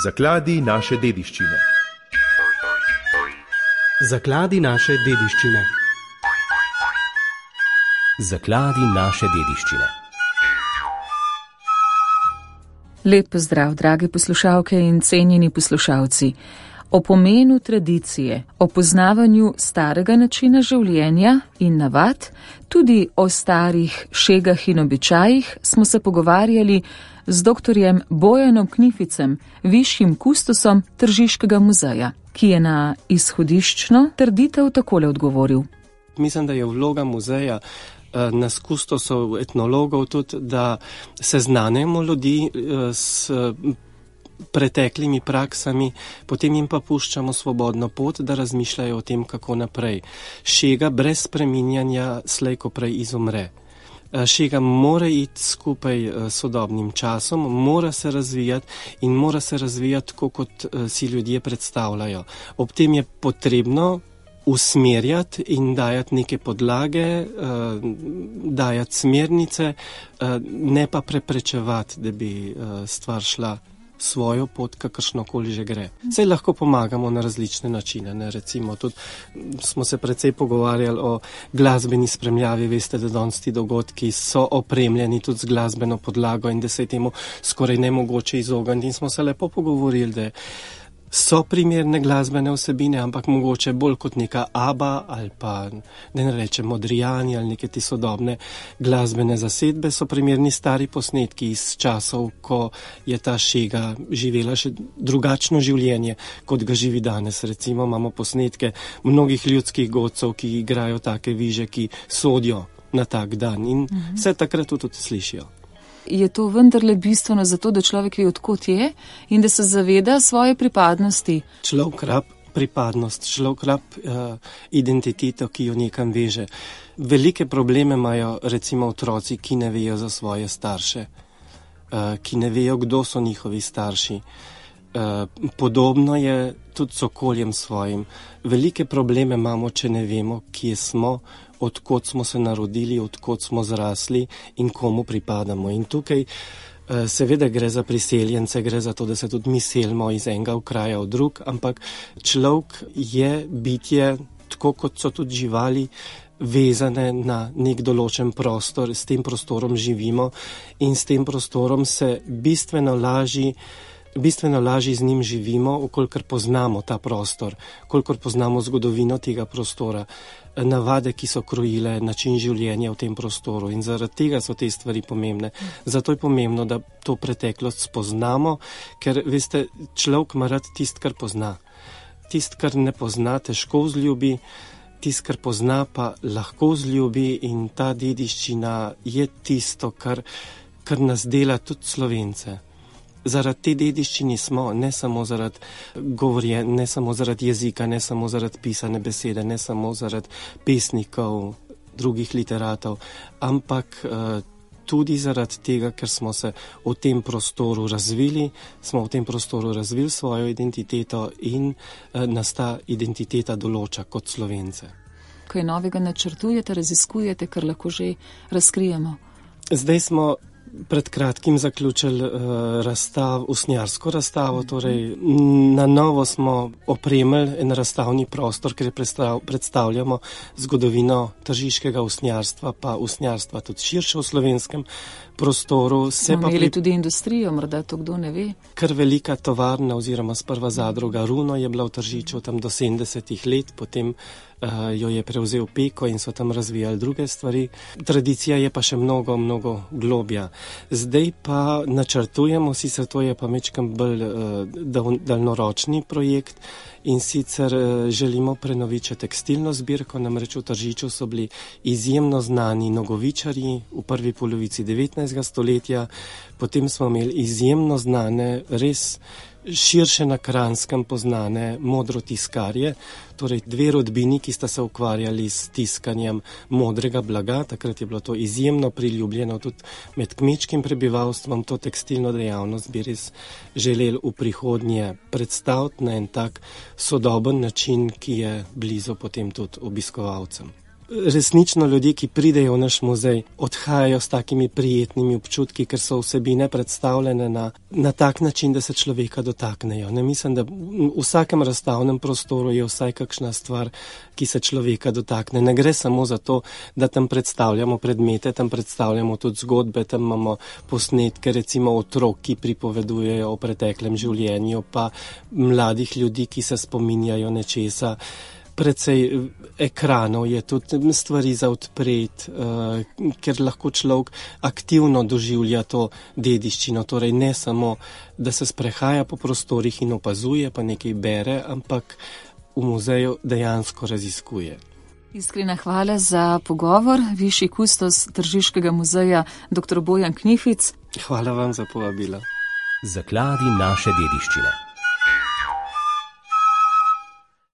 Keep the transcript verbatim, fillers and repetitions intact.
Zakladi naše dediščine. Zakladi naše dediščine. Zakladi naše dediščine. Lep pozdrav, drage poslušalke in cenjeni poslušalci. O pomenu tradicije, o poznavanju starega načina življenja in navad, tudi o starih šegah in običajih smo se pogovarjali z doktorjem Bojanom Knificem, višjim kustosom Tržiškega muzeja, ki je na izhodiščno trditev takole odgovoril. Mislim, da je vloga muzeja nas kustosov, etnologov tudi, da seznanimo ljudi s preteklimi praksami, potem jim pa puščamo svobodno pot, da razmišljajo o tem, kako naprej. Šega brez spreminjanja slej ko prej izumre. Šega mora iti skupaj s sodobnim časom, mora se razvijati in mora se razvijati tako, kot si ljudje predstavljajo. Ob tem je potrebno usmerjati in dajati neke podlage, dajati smernice, ne pa preprečevati, da bi stvar šla svojo pot, kakršnokoli že gre. Saj lahko pomagamo na različne načine, ne? Recimo tudi smo se precej pogovarjali o glasbeni spremljavi, veste, da danes ti dogodki so opremljeni tudi z glasbeno podlago in da se je temu skoraj nemogoče izogniti in smo se lepo pogovorili, da so primerne glasbene vsebine, ampak mogoče bolj kot neka ABBA ali pa, da ne rečem, Modrijani ali neke ti sodobne glasbene zasedbe, so primerni stari posnetki iz časov, ko je ta šega živela še drugačno življenje, kot ga živi danes. Recimo imamo posnetke mnogih ljudskih godcev, ki igrajo take viže, ki sodijo na tak dan in mhm. se takrat tudi slišijo. Je to vendarle bistveno zato, da človek ve, odkot je in da se zaveda svoje pripadnosti? Človek rab pripadnost, človek rab uh, identiteto, ki jo nekam veže. Velike probleme imajo recimo otroci, ki ne vejo za svoje starše, uh, ki ne vejo, kdo so njihovi starši. Uh, podobno je tudi s okoljem svojim. Velike probleme imamo, če ne vemo, kje smo, odkot smo se narodili, odkot smo zrasli in komu pripadamo. In tukaj seveda gre za priseljence, gre za to, da se tudi mi selimo iz enega kraja v drug, ampak človek je bitje, tako kot so tudi živali, vezane na nek določen prostor, s tem prostorom živimo in s tem prostorom se bistveno lažji Bistveno lažje z njim živimo, kolikor poznamo ta prostor, kolikor poznamo zgodovino tega prostora, navade, ki so krojile način življenja v tem prostoru in zaradi tega so te stvari pomembne. Zato je pomembno, da to preteklost spoznamo, ker, veste, človek ima rad tist, kar pozna. Tist, kar ne pozna, težko vzljubi, tist, kar pozna, pa lahko vzljubi in ta dediščina je tisto, kar, kar nas dela tudi Slovence. Zaradi te dediščine smo, ne samo zaradi govorje, ne samo zaradi jezika, ne samo zaradi pisane besede, ne samo zaradi pesnikov, drugih literatov, ampak uh, tudi zaradi tega, ker smo se v tem prostoru razvili, smo v tem prostoru razvili svojo identiteto in uh, nas ta identiteta določa kot Slovence. Kaj novega načrtujete, raziskujete, kar lahko že razkrijemo? Zdaj smo pred kratkim zaključili uh, razstav, usnjarsko razstavo, torej na novo smo opremili en razstavni prostor, kjer predstav, predstavljamo zgodovino tržiškega usnjarstva, pa usnjarstva tudi širše v slovenskem prostoru. Se pa imeli pri... tudi industrijo, morda to kdo ne ve. Kar velika tovarna oziroma sprva zadruga Runo je bila v Tržiču tam do sedemdesetih let, potem uh, jo je prevzel Peko in so tam razvijali druge stvari. Tradicija je pa še mnogo, mnogo globja. Zdaj pa načrtujemo, sicer to je pa mečkam bolj uh, daljnoročni projekt in sicer uh, želimo prenoviti še tekstilno zbirko, namreč v Tržiču so bili izjemno znani nogovičarji v prvi polovici devetnajstega stoletja, potem smo imeli izjemno znane, res širše na Kranjskem poznane modrotiskarje, torej dve rodbini, ki sta se ukvarjali s tiskanjem modrega blaga. Takrat je bilo to izjemno priljubljeno tudi med kmečkim prebivalstvom. To tekstilno dejavnost bi res želeli v prihodnje predstaviti na en tak sodoben način, ki je blizu potem tudi obiskovalcem. Resnično ljudje, ki pridejo v naš muzej, odhajajo s takimi prijetnimi občutki, ker so vsebine predstavljene na, na tak način, da se človeka dotaknejo. Ne mislim, da v vsakem razstavnem prostoru je vsaj kakšna stvar, ki se človeka dotakne. Ne gre samo za to, da tam predstavljamo predmete, tam predstavljamo tudi zgodbe, tam imamo posnetke recimo otrok, ki pripovedujejo o preteklem življenju, pa mladih ljudi, ki se spominjajo nečesa. Precej ekranov je tudi stvari za odpreti, uh, ker lahko človek aktivno doživlja to dediščino, torej ne samo, da se sprehaja po prostorih in opazuje, pa nekaj bere, ampak v muzeju dejansko raziskuje. Iskrena hvala za pogovor, višji kustos Tržiškega muzeja, doktor Bojan Knific. Hvala vam za povabilo. Zakladi naše dediščine.